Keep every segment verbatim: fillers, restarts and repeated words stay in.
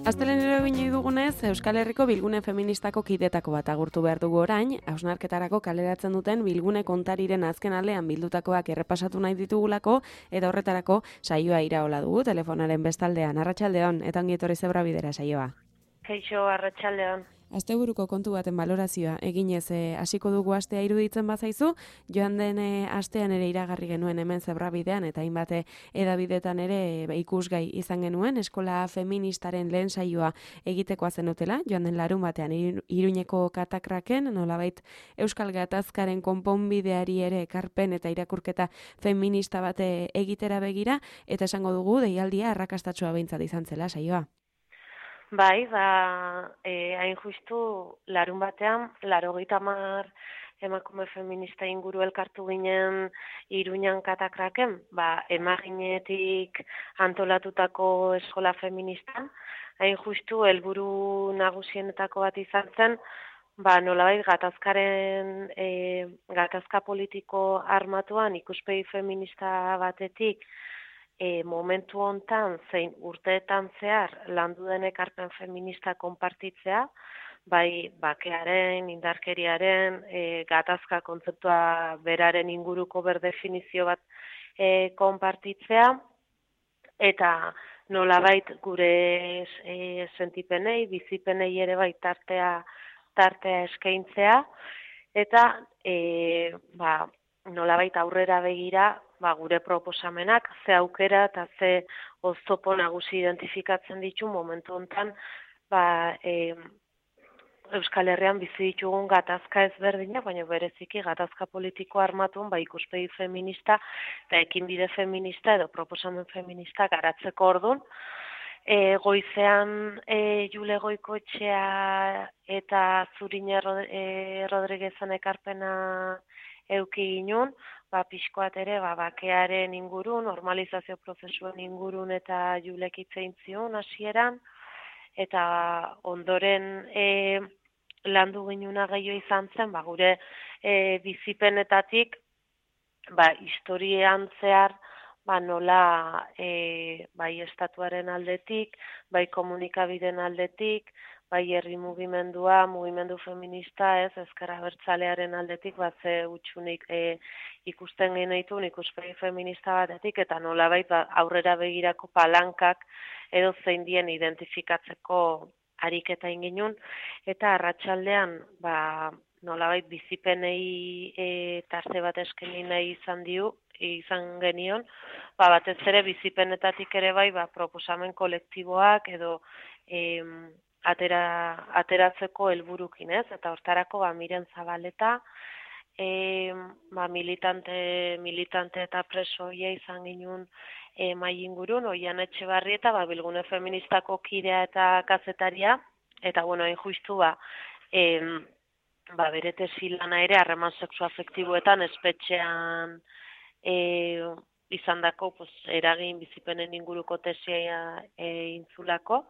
Astelenero bine dugunez, Euskal Herriko bilgune feministako kidetako bat agurtu behar dugu orain, hausnarketarako kaleratzen duten bilgune kontariren azken aldean bildutakoak errepasatu nahi ditugulako, eta horretarako saioa iraola dugu, telefonaren bestaldean. Arratsaldeon, eta ongi etorri Zebra Bidera saioa. Kaixo, arratsaldeon. Asteburuko kontu baten balorazioa eginez e, hasiko dugu astea iruditzen bazaizu, joan den e, astean ere iragarri genuen hemen Zebra Bidean eta hainbat edabidetan ere e, ikusgai izan genuen eskola feministaren lehen saioa egitekoa zenutela, joan den larun batean Iruñeko katakraken, nolabait Euskal Gatazkaren konponbideari ere ekarpen eta irakurketa feminista bate egitera begira, eta esango dugu deialdia arrakastatsua behintzat izan zela saioa. Bai, ba, e, hain justu larun batean, laurogeita hamar emakume feminista inguru elkartu ginen Iruñan katakraken, ba, emaginetik antolatutako eskola feministan, hain justu helburu nagusienetako bat izan zen, ba, nolabait gatazkaren, e, gatazka politiko armatuan ikuspegi feminista batetik, E, momentu hontan zein urteetan zehar landu den ekarpen feminista konpartitzea, bai bakearen, indarkeriaren, e, gatazka kontzeptua beraren inguruko berdefinizio bat e, konpartitzea, eta nolabait gure e, sentipenei, bizipenei ere bai tartea, tartea eskaintzea, eta e, ba, nolabait aurrera begira, ba, gure proposamenak, ze aukera eta ze oztopo nagusi identifikatzen ditu momentu hontan, ba, e, Euskal Herrian bizi ditugun gatazka ezberdinak, baina bereziki gatazka politiko armatun, ba, ikuspegi feminista eta ekinbide feminista edo proposamen feminista garatzeko ordun. E, goizean e, Jule Goikoetxea eta Zurine e, Rodriguezen ekarpena euki ginun, ba, pixkoat ere, ba, bakearen ingurun, normalizazio prozesuen ingurun eta Julek hitzein zion hasieran, eta ondoren e, landu ginuna gehiago izan zen, ba, gure e, bizipenetatik, ba, historian zehar, ba, nola e, bai estatuaren aldetik, bai komunikabideen aldetik, bai herri mugimendua, mugimendu feminista, ez, ezker abertzalearen aldetik, bat ze utxunik e, ikusten genituen ikuspegi feminista batetik, eta nolabait ba, aurrera begirako palankak edo zein dien identifikatzeko ariketa inginun, eta arratsaldean ba, nolabait bizipenei e, tarte bat eskeni nahi izan diu, izan genion, ba, batez ere bizipenetatik ere bai ba, proposamen kolektiboak edo e, Atera, ateratzeko helburukin, ez? Eta hortarako ba, Miren Zabaleta, e, ba, militante, militante eta preso hoia izan ginen e, mai ingurun, Oian Etxebarrieta, ba, bilgune feministako kidea eta kazetaria, eta bueno, hain justu ba, e, ba, bere tesi lana ere harreman sexuafektiboetan espetxean e, izandako pues, eragin bizipenen inguruko tesia e, intzulako.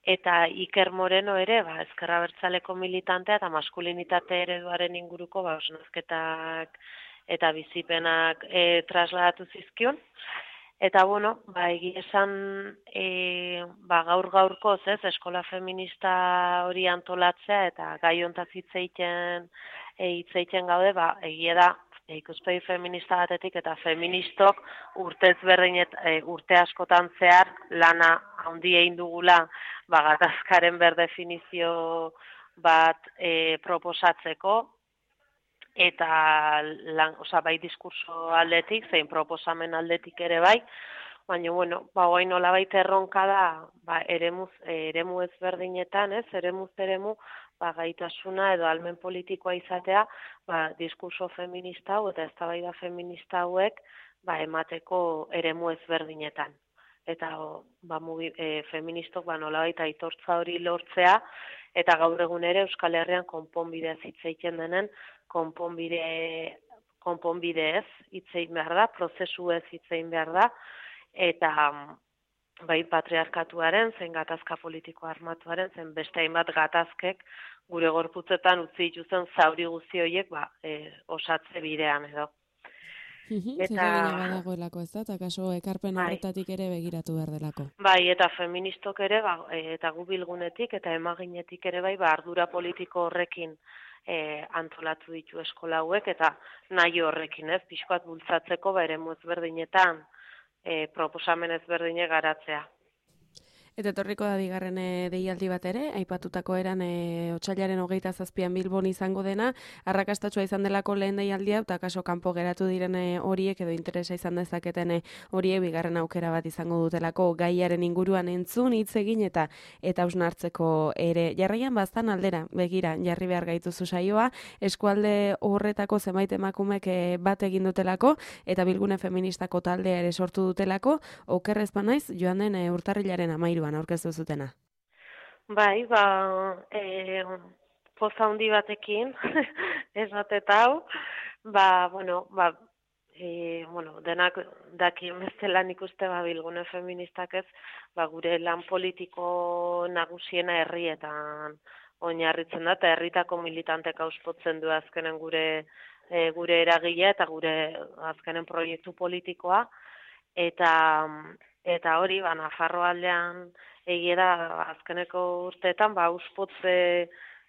Eta Iker Moreno ere, ba, ezker abertzaleko militantea eta maskulinitate ereduaren inguruko ba, osnazketak eta bizipenak e, trasladatu zizkion. Eta, bueno, ba, egia esan e, ba, gaur-gaurkoz, ez, eskola feminista hori antolatzea eta gai hontaz hitzeiten e, hitzeiten gaude, ba, egia da, e, ikuspegi feminista batetik eta feministok urtez berdinet, e, urte askotan zehar lana handi egin dugula ba, gatazkaren berdefinizio bat e, proposatzeko, eta lan, oza, bai diskurso aldetik, zein proposamen aldetik ere bai, baina, bueno, ba, guain nolabait erronka da, ba, eremuz, eremu ezberdinetan, ez, eremuz eremu, ba, gaitasuna edo almen politikoa izatea, ba, diskurso feminista hau eta eztabaida feminista hauek, ba, emateko eremu ezberdinetan. Eta ba, mugi, e, feministok ba, nolabait aitortza hori lortzea, eta gaur egun ere Euskal Herrian konponbidea hitzeiten denen, konponbide, konponbide ez hitzein behar da, prozesu ez hitzein behar da, eta bai patriarkatuaren, zein gatazka politiko armatuaren, zen beste hainbat gatazkek gure gorputzetan utzi dituzen zauri guzti horiek ba, e, osatze bidean edo. Mhm, Eta zeregina badagoelako ez da, eta kaso ekarpen bai, horretatik ere begiratu behar delako. bai, eta feministok ere, ba, eta gu bilgunetik eta emaginetik ere bai, ba, ardura politiko horrekin e, antolatu ditu eskola hauek, eta nahi horrekin, ez, pixkoat bultzatzeko, ba, eremu ezberdinetan e, proposamen ezberdine garatzea. Eta etorriko da bigarren e, deialdi bat ere, aipatutako eran e, otsailaren hogeita zazpian Bilbon izango dena, arrakastatsua izan delako lehen deialdia, eta kaso kanpo geratu diren e, horiek edo interesa izan dezaketen e, horiek bigarren aukera bat izango dutelako gaiaren inguruan entzun, hitz egin eta eta hausnartzeko ere. Jarraian baztan aldera, begira, jarri behar gaituzu saioa, eskualde horretako zenbait emakumek e, bat egin dutelako, eta Bilgune Feministako taldea ere sortu dutelako, okerrez banaiz, joan den e, urtarrilaren amairu aurkeztu zutena. Bai, ba, e, poza handi batekin, esatet hau, ba, bueno, ba, e, bueno, denak dakien bezala nik uste ba, Bilgune Feministak ez, ba, gure lan politiko nagusiena herrietan oinarritzen da, eta herritako militantek auspotzen du azkenen gure, e, gure eragilea eta gure azkenen proiektu politikoa, eta Eta hori, ba, Nafarro aldean egia da azkeneko urteetan, ba, auspotze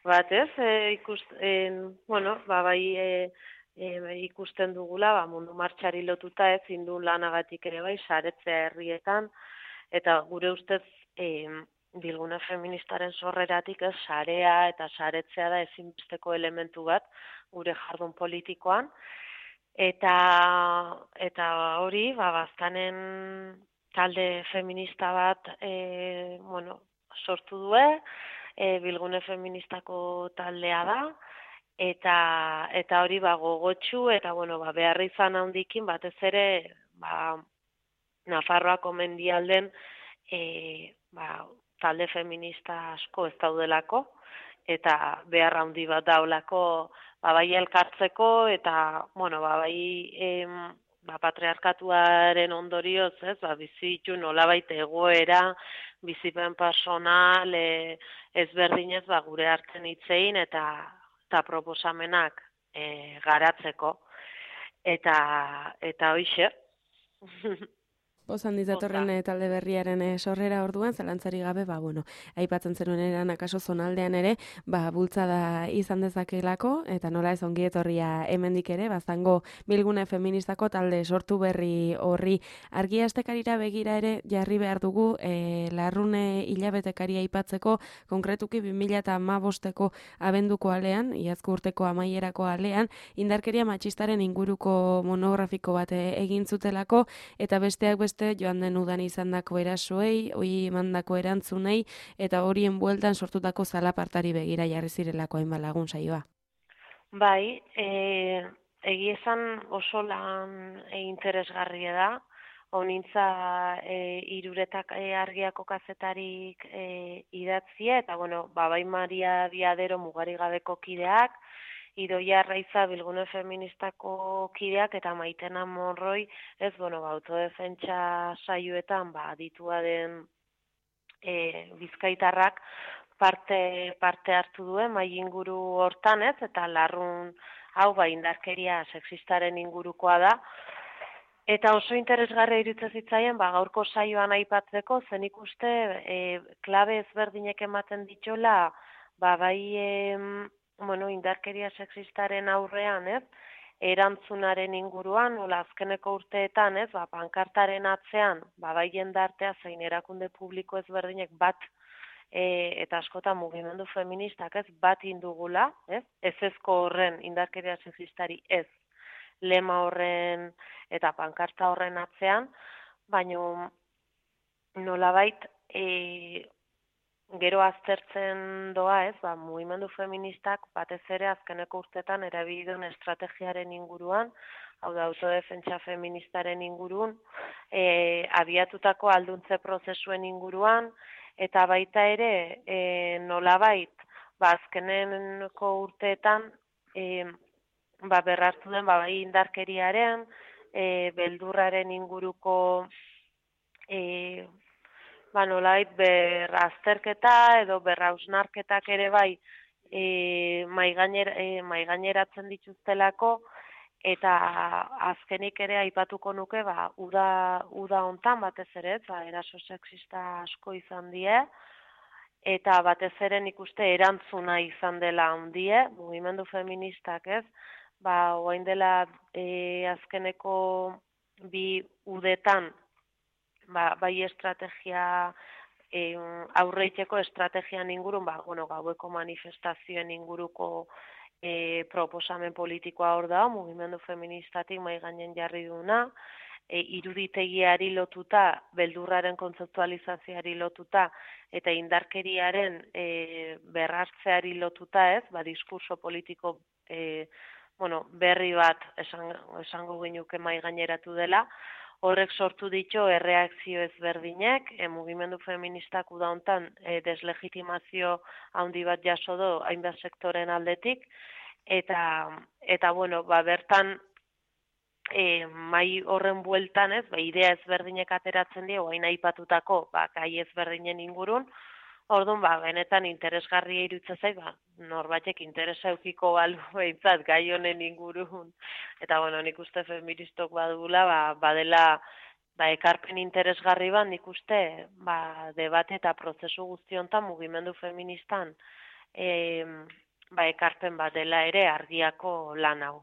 bat ez, e, ikusten, bueno, ba, bai e, e, ikusten dugula, ba, mundu martxari lotuta ez, indun lanagatik ere bai, saretzea herrietan, eta gure ustez, e, Bilgune Feministaren sorreratik ez, sarea eta saretzea da ezinbesteko elementu bat, gure jardun politikoan, eta, eta hori, ba, bazkanen talde feminista bat e, bueno, sortu due, e, Bilgune Feministako taldea da, eta eta hori ba, gogotsu eta bueno, ba, beharri izan handikin batez ere ba, Nafarroako mendialden e, ba, talde feminista asko ez daudelako, eta behar handi bat daulako ba, bai elkartzeko eta bueno, ba, bai em, ba, patriarkatuaren ondorioz, ez, ba, bizitu nolabait egoera, bizipen personal, e, ezberdinez, ba, gure hartzen hitzein eta, eta proposamenak e, garatzeko. Eta, eta hoixe. Pozan dizatorren e, talde berriaren e, sorrera orduan, zalantzari gabe, ba, bueno, aipatzen zenuen eran akaso zonaldean ere, ba, bultzada izan dezakelako, eta nola ez ongi etorria hemendik ere, bazango Bilgune Feministako talde sortu berri horri argia estekarira begira ere jarri behar dugu, e, larrune hilabetekari aipatzeko, konkretuki bi mila hamabosteko abenduko alean, iazko urteko amaierako alean, indarkeria matxistaren inguruko monografiko bat egin zutelako, eta besteak beste joan den udan izandako erasoei, hori emandako erantzunei, eta horien bueltan sortutako zalapartari begira jarri zirelako hainbat lagun saioa. Bai, e, egia esan oso lan e, interesgarria da, honintza e, iruretak e, argiako kazetarik e, idatzia, eta bueno, ba, bai Maria Diadero mugari gabeko kideak, Idoia Arraiza Bilgune Feministako kideak eta Maitena Monroi, ez, bueno, ba, autodefentsa saioetan, ba, aditua den e, bizkaitarrak parte, parte hartu duen, mai inguru hortan, ez, eta larrun hau, ba, indarkeria sexistaren ingurukoa da, eta oso interesgarria iruditzen zitzaien, ba, gaurko saioan aipatzeko, zen ikuste, e, klabe ezberdinek ematen ditola, ba, bai, e, bueno, indarkeria sexistaren aurrean, ez, erantzunaren inguruan, nola azkeneko urteetan, ez, ba, pankartaren atzean, ba, bai jendartea zein erakunde publiko ezberdinek bat, e, eta askotan mugimendu feministak, ez, bat indugula, ez, ez ezko horren indarkeria sexistari ez, lema horren eta pankarta horren atzean, baino nolabait, e, gero aztertzen doa, ez, ba, mugimendu feministak batez ere azkeneko urtetan erabilidun estrategiaren inguruan, hau da autodefentsa feministaren ingurun, e, abiatutako alduntze prozesuen inguruan, eta baita ere e, nolabait, ba, azkeneko urteetan e, ba, berrartu den ba, bai indarkeriaren, e, beldurraren inguruko e, ba, nolait berrazterketa edo berrausnarketak ere bai e, maigaineratzen dituztelako, eta azkenik ere aipatuko nuke, ba, uda, uda hontan batez ere, ba, eraso sexista asko izan die, eta batez ere nik uste erantzuna izan dela handie, mugimendu feministak ez, ba, oain dela e, azkeneko bi udetan, ba, bai estrategia, e, aurreiteko estrategian ingurun, ba, bueno, gaueko manifestazioen inguruko e, proposamen politikoa hor da, mugimendu feministatik mai gainen jarri duna, e, iruditegiari lotuta, beldurraren kontzeptualizazioari lotuta, eta indarkeriaren e, berrartzeari lotuta ez, ba, diskurso politiko e, bueno, berri bat esan, esango ginuke mai gaineratu dela, horrek sortu ditu erreakzio ezberdinek, e, mugimendu feministak uda hontan e, deslegitimazio handi bat jaso do hainbat sektoren aldetik, eta, eta bueno, ba, bertan e, mai horren bueltan ez, ba, idea ezberdinek ateratzen die, oain aipatutako, ba, gai ezberdinen ingurun, orduan, ba, benetan interesgarria iruditzen zait, ba, norbaitek interesa eukiko balu behintzat gai honen ingurun. Eta, bueno, nik uste feministok badula, ba, badela, ba, ekarpen interesgarri bat, nik uste, ba, debate eta prozesu guzti honetan mugimendu feministan, e, ba, ekarpen bat dela ere argiako lan hau.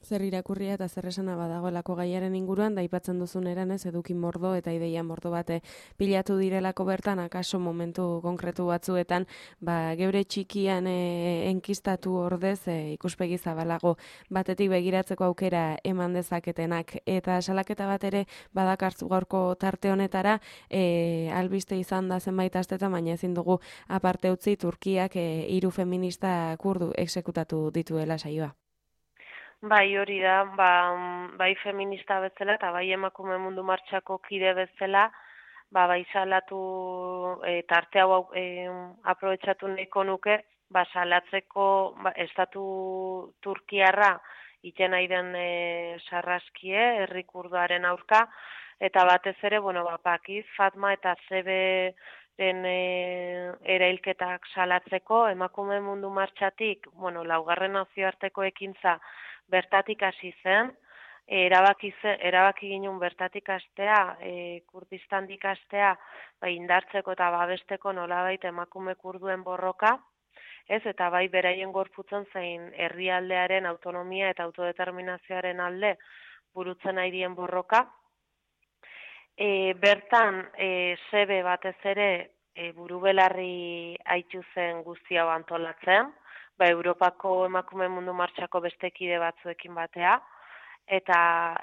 Zer irakurria eta zer esana badagoelako gaiaren inguruan, da aipatzen duzun eran ez, eduki mordo eta ideia mordo bate pilatu direlako bertan, akaso momentu konkretu batzuetan, ba, geure txikian e, enkistatu ordez e, ikuspegi zabalago batetik begiratzeko aukera eman dezaketenak. Eta salaketa bat ere badakartzu gaurko tarte honetara, e, albiste izan da zenbait astetan, baina ezin dugu aparte utzi Turkiak e, hiru feminista kurdu exekutatu dituela saioa. Bai, hori da, ba, bai feminista bezala eta bai emakume mundu martxako kide bezala, ba, bai salatu e, tarte hau e, aprobetxatu nahiko nuke, ba, salatzeko ba, estatu turkiarra iten nahi den e, sarraskie, herri kurduaren aurka, eta batez ere, bueno, ba, Pakiz, Fatma eta Zebe den e, erailketak salatzeko, emakume mundu martxatik, bueno, laugarren nazioarteko ekintza bertatik hasi zen, erabaki, zen, erabaki ginen bertatik hastea, e, Kurdistandik hastea, ba, indartzeko eta babesteko nolabait emakume kurduen borroka, ez, eta bai beraien gorputzen zein herrialdearen autonomia eta autodeterminazioaren alde burutzen nahi dien borroka. E, bertan, e, Zebe batez ere e, burubelarri haitu zen guzti hau antolatzen, ba, Europako emakume mundu martxako beste kide batzuekin batea, eta,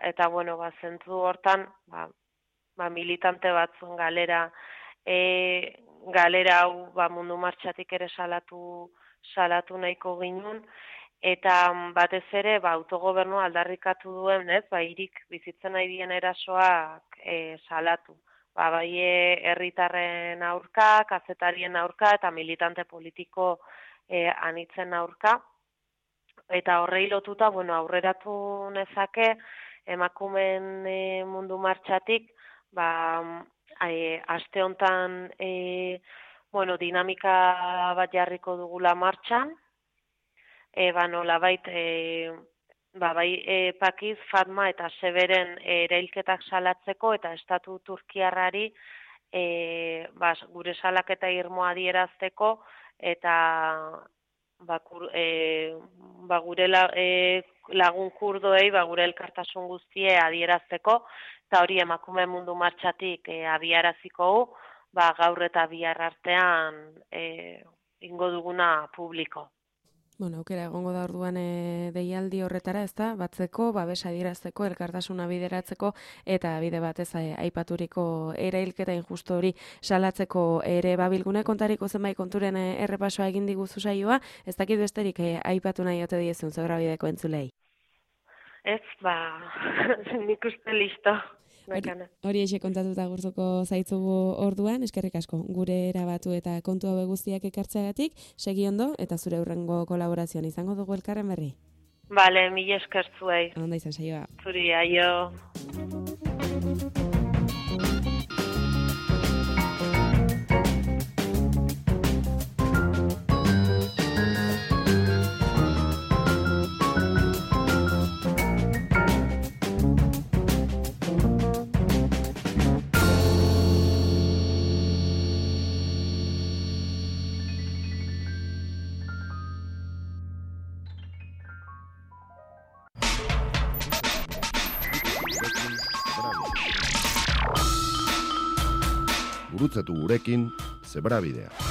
eta bueno, ba, zentzu hortan, ba, ba, militante batzuen galera, e, galera hau ba, mundu martxatik ere salatu, salatu nahiko ginun, eta batez ere ba, autogobernua aldarrikatu duen, ez, ba, hirik bizitzen nahi dien erasoak e, salatu. Ba, bai herritarren aurka, kazetarien aurka eta militante politiko E, anitzen aurka, eta horrei lotuta, bueno, aurreratu nezake emakumen e, mundu martxatik, ba, e, aste hontan e, bueno, dinamika bat jarriko dugula martxan, e, ba, nolabait, e, ba, bai e, Pakiz, Fatma eta Zeberen e, erailketak salatzeko eta estatu turkiarrari e, ba, gure salaketa irmoa adierazteko, eta ba, kur, e, ba, gure la, e, lagun kurdoei ba, gure elkartasun guztie adierazteko, eta hori emakume mundu martxatik e, abiaraziko hu, ba, gaur eta bihar artean e, ingo duguna publiko. Bueno, aukera egongo da orduan e, deialdi horretara, ezta? Batzeko, babesa adierazteko, elkartasuna bideratzeko eta bide batez aipaturiko erailketa injustu hori salatzeko ere babilgune kontariko zenbait konturen e, errepasoa egin diguzu saioa, ez dakit besterik e, aipatu nahi ote diezun Zebrabideko entzulei. Ez, ba, nik uste listo. Hori, hori eixe kontatuta gurtuko zaitzugu orduan, eskerrik asko, gure erabatu eta kontu hau guztiak ekartzeagatik, segi ondo eta zure hurrengo kolaborazioan izango dugu elkarren berri. Bale, mila esker zuei. Onda izan saioa. Zuri, aio. gurutzatu gurekin, Zebrabidea.